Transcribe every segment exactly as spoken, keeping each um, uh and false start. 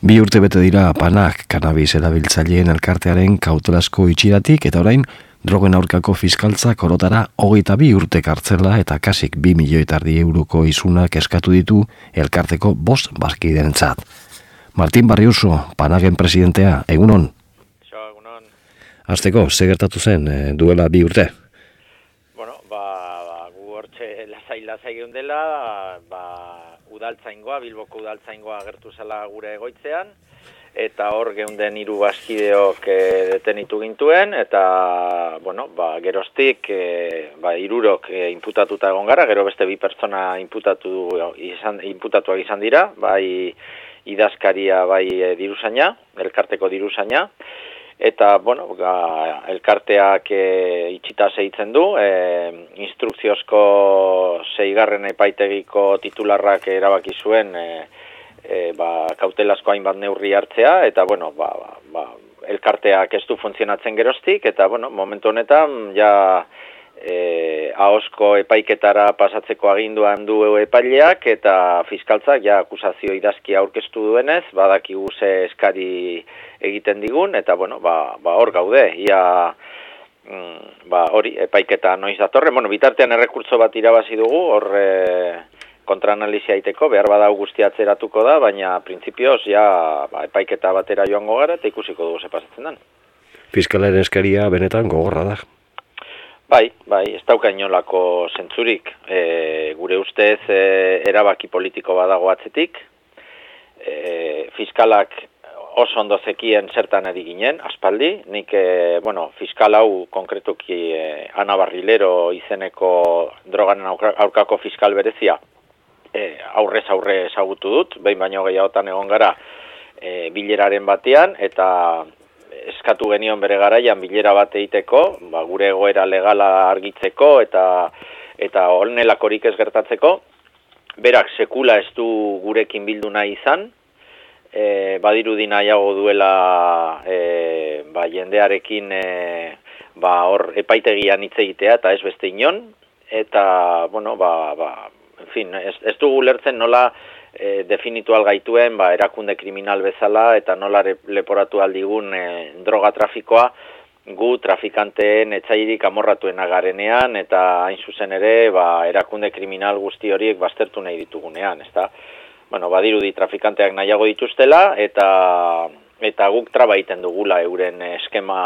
Bi urte bete dira Panak kannabis erabiltzaileen elkartearen kautelazko itxiratik eta orain drogen aurkako fiskaltzak orotara hogeita bi urte kartzela eta kasik bi milioi eta erdi euroko isunak eskatu ditu elkarteko bost bazkideentzat. Martin Barriuso, Panaken presidentea, egunon? Xo, egunon. Hasteko, ze gertatu zen e, duela bi urte? Bueno, ba, ba gu hortxe lasai-lasai geundela, ba, udaltzaingoa, Bilboko udaltzaingoa agertu zela gure egoitzean, eta hor geunden hiru bazkideok e, detenitu gintuen, eta, bueno, ba, geroztik, e, ba, hirurok e, inputatuta egon gara, gero beste bi pertsona inputatu, izan, inputatuak izan dira, bai idazkaria, bai e, diruzaina, elkarteko diruzaina, eta, bueno, ga, elkarteak e, itxita segitzen du, e, instrukziozko seigarren epaitegiko titularrak erabaki zuen e, e, ba, kautelazko hainbat neurri hartzea, eta, bueno, ba, ba, ba, elkarteak ez du funtzionatzen geroztik, eta, bueno, momentu honetan, ja, e, ahozko epaiketara pasatzeko aginduan du epaileak, eta fiskaltzak, ja, akusazio idazkia aurkeztu duenez, badakigu ze eskari egiten digun, eta, bueno, ba, ba hor gaude, ia, mm, ba, hori, epaiketa noiz datorre, bueno, bitartean errekurtso bat irabazi dugu, hor e, kontraanalizia aiteko, behar badau guztia atzeratuko da, baina printzipioz, ja, ba, epaiketa batera joango gara, eta ikusiko dugu ze pasatzen den. Fiskalaren eskaria benetan gogorra da. Bai, bai, ez dauka inolako zentzurik, e, gure ustez e, erabaki politiko badago atzetik, e, fiskalak oso ondo zekien zertan ari ginen, aspaldi, nik, e, bueno, fiskal hau konkretuki e, Ana Barrilero izeneko droganen aurkako fiskal berezia e, aurrez aurre ezagutu dut, behin baino gehiagotan egon gara e, bileraren batean, eta eskatu genion bere garaian bilera bat egiteko, ba, gure egoera legala argitzeko eta eta honelakorik ez gertatzeko, berak sekula ez du gurekin bildu nahi izan, E, badirudi nahiago duela e, ba, jendearekin e, ba, hor epaitegian hitz egitea eta ez beste inon, eta, bueno, ba, ba, en fin, ez, ez dugu lertzen nola e, definitu algaituen ba, erakunde kriminal bezala eta nola leporatu aldigun e, droga trafikoa gu trafikanteen etzairik amorratuena garenean eta hain zuzen ere ba, erakunde kriminal guzti horiek baztertu nahi ditugunean, ezta? Bueno, badirudi trafikanteak nahiago dituztela eta eta guk traba egiten dugula euren eskema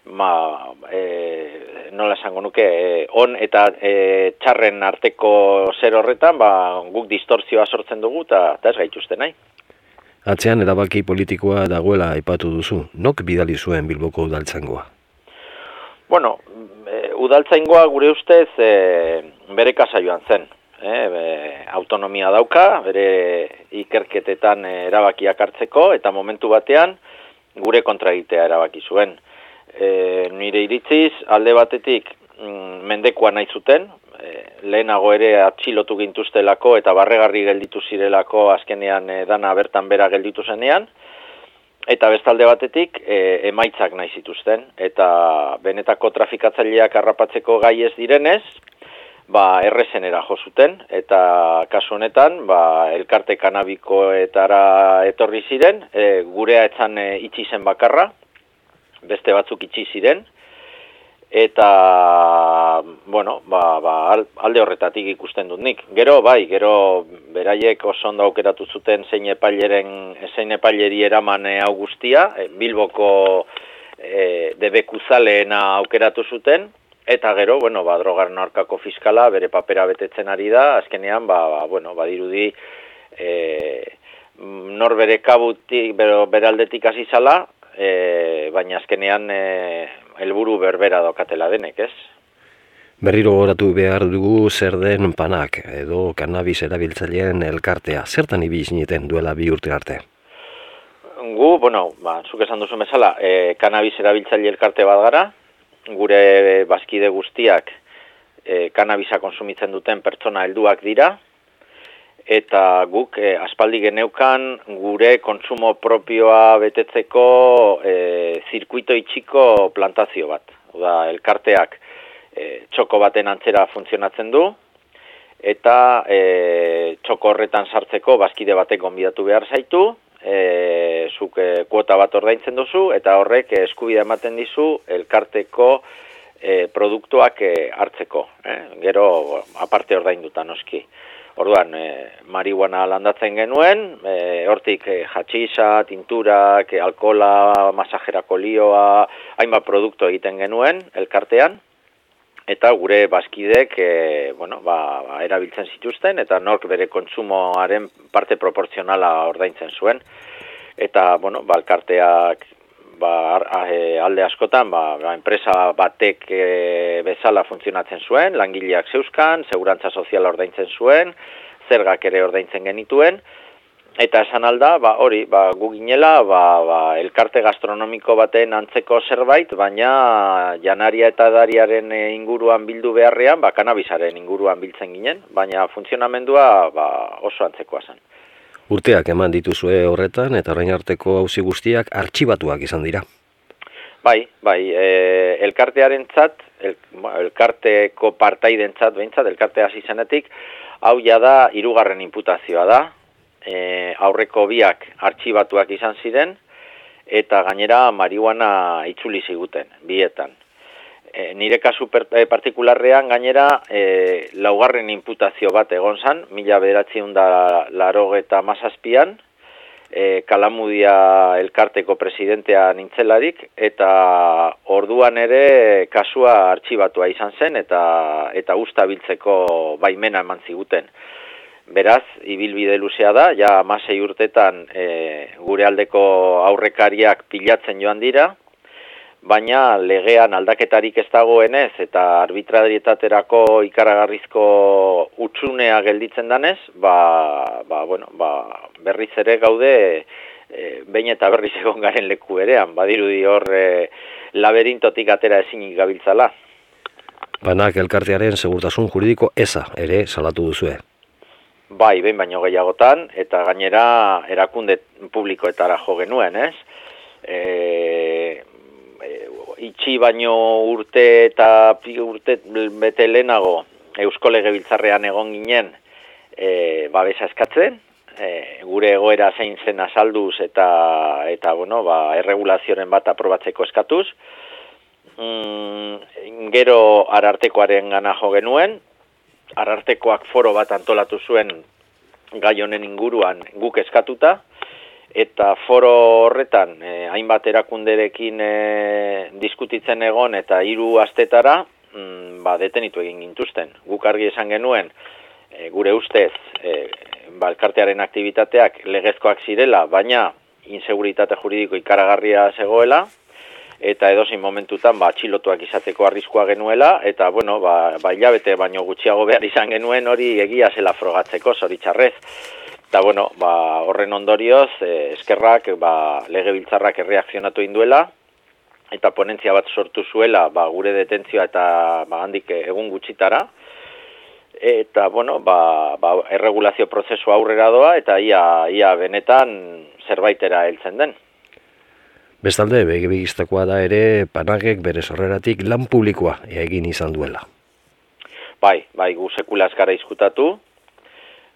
ma, e, nola esango nuke e, on eta e, txarren arteko zer horretan ba, guk distortzioa sortzen dugu eta ez gaituzte nahi. Atzean erabaki politikoa dagoela aipatu duzu. Nok bidali zuen Bilboko udaltzaingoa? Bueno, e, udaltzaingoa gure ustez e, bere kasa joan zen. E, be, autonomia dauka, bere ikerketetan erabakiak hartzeko, eta momentu batean gure kontragitea erabaki zuen. E, nire iritziz, alde batetik mm, mendekua nahi zuten, e, lehenago ere atxilotu gintuztelako eta barregarri gelditu zirelako azkenean e, dana bertan bera gelditu zenean, eta bestalde batetik e, emaitzak nahi zituzten, eta benetako trafikatzaileak harrapatzeko gai ez direnez, ba, errezenera jo zuten, eta kasu honetan, ba, elkarte kanabikoetara etorri ziren, e, gurea etzan e, itxi zen bakarra, beste batzuk itxi ziren, eta, bueno, ba, ba, alde horretatik ikusten dut nik. Gero, bai, gero beraiek oso ondo aukeratu zuten zein epaileren, zein epaileri eraman hau guztia, e, Bilboko e, debekuzaleena aukeratu zuten, eta gero, bueno, ba, drogaren aurkako fiskala bere papera betetzen ari da, azkenean, ba, ba bueno, badirudi e, nor bere kabutik, bere aldetik hasi zala, e, baina azkenean e, helburu berbera daukatela denek, ez? Berriro goratu behar dugu zer den Panak, edo kannabis erabiltzaileen elkartea. Zertan ibili zineten duela bi urte arte? Gu, bueno, ba, zuk esan duzu bezala, e, kannabis erabiltzaile elkarte bat gara, gure bazkide guztiak e, kannabisa konsumitzen duten pertsona helduak dira, eta guk e, aspaldi geneukan gure kontsumo propioa betetzeko e, zirkuito itxiko plantazio bat. Oda, elkarteak e, txoko baten antzera funtzionatzen du, eta e, txoko horretan sartzeko bazkide batek gonbidatu behar zaitu, e, zuk e, kuota bat ordaintzen duzu, eta horrek e, eskubidea ematen dizu elkarteko e, produktuak e, hartzeko. Eh? Gero, aparte ordainduta noski. Orduan, e, marihuana landatzen genuen, e, hortik e, hatxisa, tinturak, e, alkola, masajerako lioa, hainbat produktu egiten genuen elkartean, eta gure bazkidek e, bueno, ba, ba, erabiltzen zituzten, eta nork bere kontsumoaren parte proporzionala ordaintzen zuen. Eta, bueno, ba, elkarteak ba, alde askotan, ba, ba, enpresa batek e, bezala funtzionatzen zuen, langileak zeuzkan, segurantza soziala ordaintzen zuen, zergak ere ordaintzen genituen, eta esan alda, ba, hori, ba, gu ginela, ba, ba, elkarte gastronomiko baten antzeko zerbait, baina janaria eta dariaren inguruan bildu beharrean, ba, kanabisaren inguruan biltzen ginen, baina funtzionamendua ba, oso antzekoa zen. Urteak eman dituzue horretan, eta orain arteko auzi guztiak artxibatuak izan dira. Bai, bai, e, elkartearentzat, el, elkarteko partaidentzat behintzat, elkartea hasi zenetik, hau ja da hirugarren inputazioa da, e, aurreko biak artxibatuak izan ziren, eta gainera marihuana itzuli ziguten, bietan. E, nire kasu per, e, partikularrean gainera e, laugarren inputazio bat egon zan, mila bederatziehun da laurogeita hamazazpian, e, Kalamudia elkarteko presidentea nintzelarik, eta orduan ere kasua artxibatua izan zen, eta, eta usta biltzeko baimena eman ziguten. Beraz, ibilbide luzea da, ja hamasei urtetan e, gure aldeko aurrekariak pilatzen joan dira, baina legean aldaketarik ez dagoenez eta arbitrarietaterako ikaragarrizko utxunea gelditzen danez, ba, ba, bueno, ba, berriz ere gaude e, behin eta berriz egon garen leku berean, badirudi hor e, laberintotik atera ezinik gabiltzala. Banak elkartearen segurtasun juridiko eza ere salatu duzue. Bai, behin baino gehiagotan, eta gainera erakunde publikoetara jo genuen, ez? E, e, itxi baino urte eta urte bete lehenago Eusko Legebiltzarrean egon ginen e, babesa eskatzen, e, gure egoera zein zen azalduz eta, eta bueno, ba, erregulazioren bat aprobatzeko eskatuz. Mm, gero Arartekoaren gana jo genuen, Arartekoak foro bat antolatu zuen gai honen inguruan guk eskatuta, eta foro horretan eh, hainbat erakunderekin eh, diskutitzen egon eta hiru astetara mm, ba, detenitu egin gintuzten. Guk argi esan genuen, eh, gure ustez, eh, ba, elkartearen aktivitateak legezkoak zirela, baina inseguritate juridiko ikaragarria zegoela, eta edozein momentutan ba, atxilotuak izateko arriskua genuela, eta bueno, ba, ba hilabete baino gutxiago behar izan genuen hori egia zela frogatzeko, zoritxarrez. Eta bueno, ba, horren ondorioz, eh, eskerrak ba, legebiltzarrak erreakzionatu induela, eta ponentzia bat sortu zuela ba, gure detentzioa eta ba, handik egun gutxitara, eta bueno, ba, ba, erregulazio prozesu aurrera doa, eta ia, ia benetan zerbaitera heltzen den. Bestalde, begibigistakoa da ere Panagek bere sorreratik lan publikoa egin izan duela. Bai, bai, gu sekula eskara izkutatu,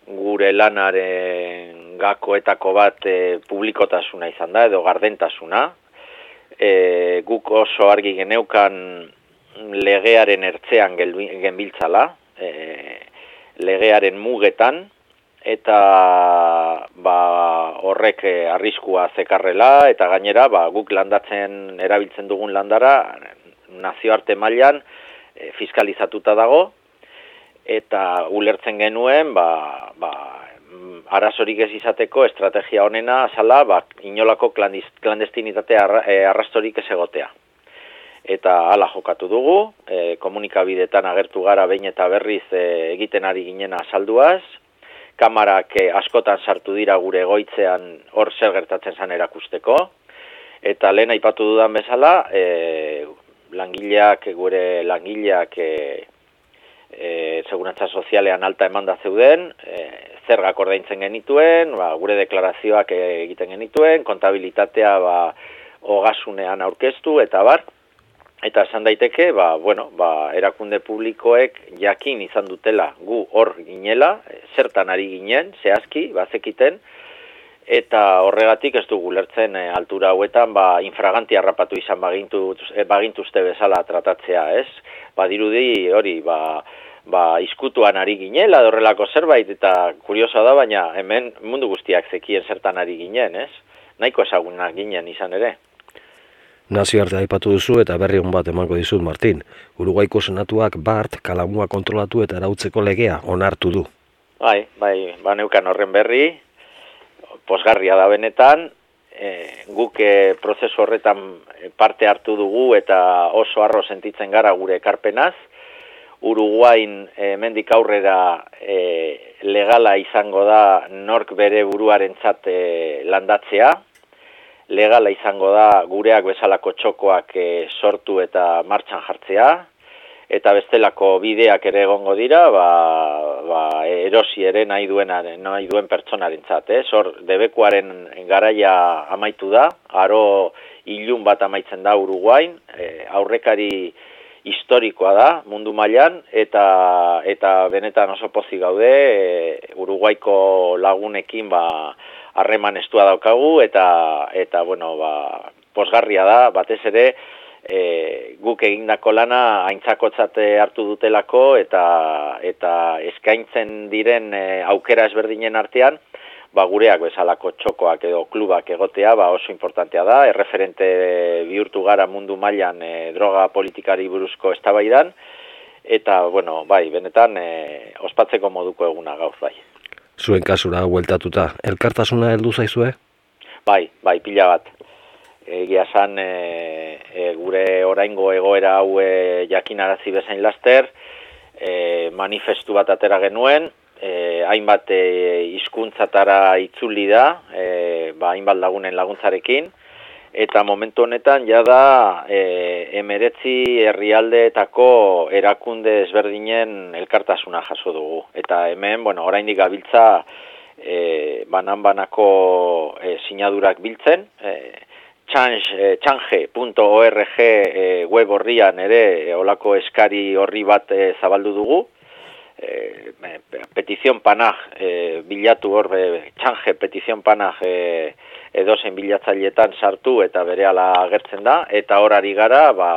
gure lanaren gakoetako bat e, publikotasuna izan da, edo gardentasuna. E, guk oso argi geneukan legearen ertzean genbiltzala, e, legearen mugetan, eta ba, horrek arriskua zekarrela, eta gainera ba, guk landatzen erabiltzen dugun landara nazioarte mailan e, fiskalizatuta dago, eta ulertzen genuen ba, ba, arazorik ez izateko estrategia honena azala ba, inolako klandestinitate arrastorik ez egotea. Eta hala jokatu dugu, e, komunikabidetan agertu gara behin eta berriz e, egiten ari ginen azalduaz, kamarak askotan sartu dira gure egoitzean hor zer gertatzen zan erakusteko, eta lehen aipatu dudan bezala, e, langileak, gure langileak e, e, segurantza sozialean alta emanda zeuden, e, zergak ordaintzen genituen, ba, gure deklarazioak egiten genituen, kontabilitatea ba, ogasunean aurkeztu, eta bar, eta esan daiteke, ba, bueno, ba, erakunde publikoek jakin izan dutela gu hor ginela, zertan ari ginen, zehazki, bazekiten, eta horregatik ez dugu lertzen e, altura hauetan ba, infraganti harrapatu izan bagintu, e, bagintuzte bezala tratatzea, ez? Badirudi hori, ba, ba, izkutuan ari ginela, horrelako zerbait, eta kuriosoa da, baina hemen mundu guztiak zekien zertan ari ginen, ez? Nahiko ezagunak ginen izan ere. Nazioarte aipatu duzu eta berri on bat emango dizut, Martin. Uruguaiko senatuak bart kalamua kontrolatu eta arautzeko legea onartu du. Bai, bai, ba neukan horren berri, posgarria da benetan, e, guk e, prozesu horretan parte hartu dugu eta oso harro sentitzen gara gure ekarpenaz. Uruguain hemendik aurrera e, legala izango da nork bere buruarentzat e, landatzea. Legala izango da gureak bezalako txokoak e, sortu eta martxan jartzea. Eta bestelako bideak ere egongo dira, ba, ba, erosi ere nahi, duenaren, nahi duen pertsonarentzat. Eh? Hor, debekuaren garaia amaitu da, aro ilun bat amaitzen da Uruguain, e, aurrekari historikoa da mundu mailan eta eta benetan oso pozik gaude, e, Uruguaiko lagunekin ba harreman estua daukagu eta eta bueno, ba posgarria da, batez ere E, guk egindako lana aintzakotzat hartu dutelako eta eta eskaintzen diren e, aukera ezberdinen artean, ba gureak bezalako txokoak edo klubak egotea ba oso importantea da, erreferente bihurtu gara mundu mailan e, droga politikari buruzko eztabaidan eta bueno, bai, benetan e, ospatzeko moduko eguna gaur bai. Zuen kasura bueltatuta, elkartasuna heldu zaizue? Bai, bai, pila bat. Egia esan e, e, gure oraingo egoera hau e, jakinarazi bezain laster, e, manifestu bat atera genuen, e, hainbat e, hizkuntzatara itzuli da, e, ba, hainbat lagunen laguntzarekin, eta momentu honetan jada e, emeretzi herrialdeetako erakunde ezberdinen elkartasuna jaso dugu. Eta hemen, bueno, oraindik gabiltza e, banan-banako e, sinadurak biltzen, e, change punto org e, web horrian ere e, olako eskari horri bat e, zabaldu dugu. E, petizion panaj e, bilatu hor, e, change petizion panaj e, edozen bilatzailetan sartu eta berehala agertzen da. Eta horari gara ba,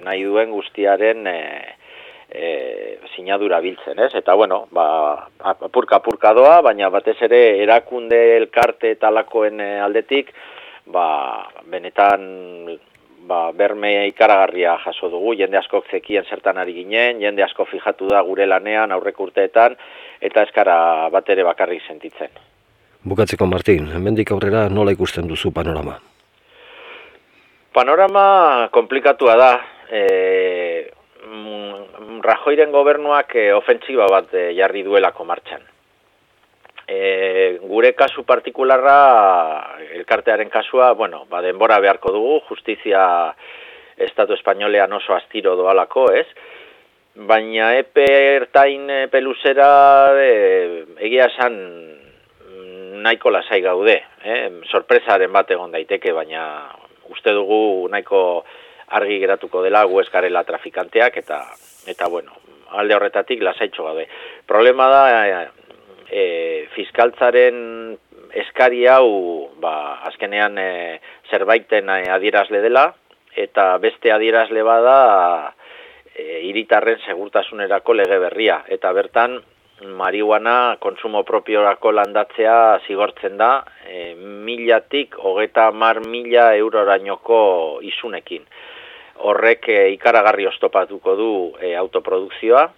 nahi duen guztiaren e, e, sinadura biltzen, ez? Eta bueno, ba, apurka-apurka doa, baina batez ere erakunde elkarte talakoen e, aldetik, ba, benetan ba, berme ikaragarria jaso dugu, jende askok zekien zertan ari ginen, jende asko fijatu da gure lanean aurreko urteetan, eta eskara bat ere bakarrik sentitzen. Bukatzeko, Martin, hemendik aurrera nola ikusten duzu panorama? Panorama komplikatua da. E, Rajoyren gobernuak e, ofentsiba bat e, jarri duelako martxan. E, gure kasu partikularra, elkartearen kasua, bueno, ba, denbora beharko dugu, justizia Estatu Espainolean oso astiro doalako, ez? Baina epe ertain epe luzera e, egia esan nahiko lasai gaude, eh? Sorpresaren bat egon daiteke, baina uste dugu nahiko argi geratuko dela gu ez garela trafikanteak eta, eta bueno, alde horretatik lasaitxo gaude. Problema da, e, E, fiskaltzaren eskari hau ba, azkenean e, zerbaiten e, adierazle dela eta beste adierazle bada e, hiritarren segurtasunerako lege berria eta bertan marihuana konsumo propiorako landatzea zigortzen da e, milatik hogeta hamar mila eurorainoko isunekin. Horrek e, ikaragarri oztopatuko du e, autoprodukzioa.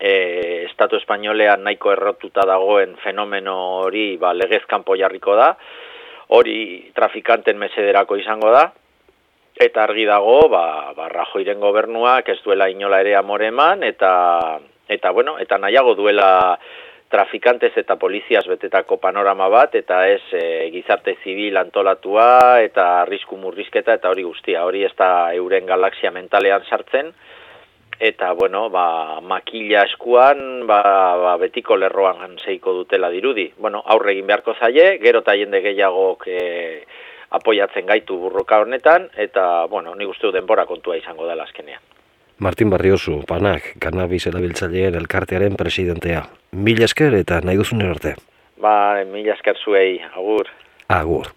E, Estatu Espainolean nahiko errotuta dagoen fenomeno hori ba, legez kanpo jarriko da, hori trafikanten mesederako izango da, eta argi dago ba, ba, Rajoyren gobernuak ez duela inola ere amore eman, eta, eta, bueno, eta nahiago duela trafikantez eta poliziaz betetako panorama bat, eta ez e, gizarte zibil antolatua, eta arrisku murrizketa, eta hori guztia, hori ez da euren galaxia mentalean sartzen, eta, bueno, ba, makila eskuan, ba, ba, betiko lerroan zeiko dutela dirudi. Bueno, aurre egin beharko zaie, gero eta jende gehiagok e, apoiatzen gaitu burroka honetan, eta, bueno, nik uste du denbora kontua izango dela azkenean. Martin Barriozu, Panak, Cannabis erabiltzaileen elkartearen presidentea. Mila esker eta nahi duzun arte. Ba, mila esker zuei, agur. Agur.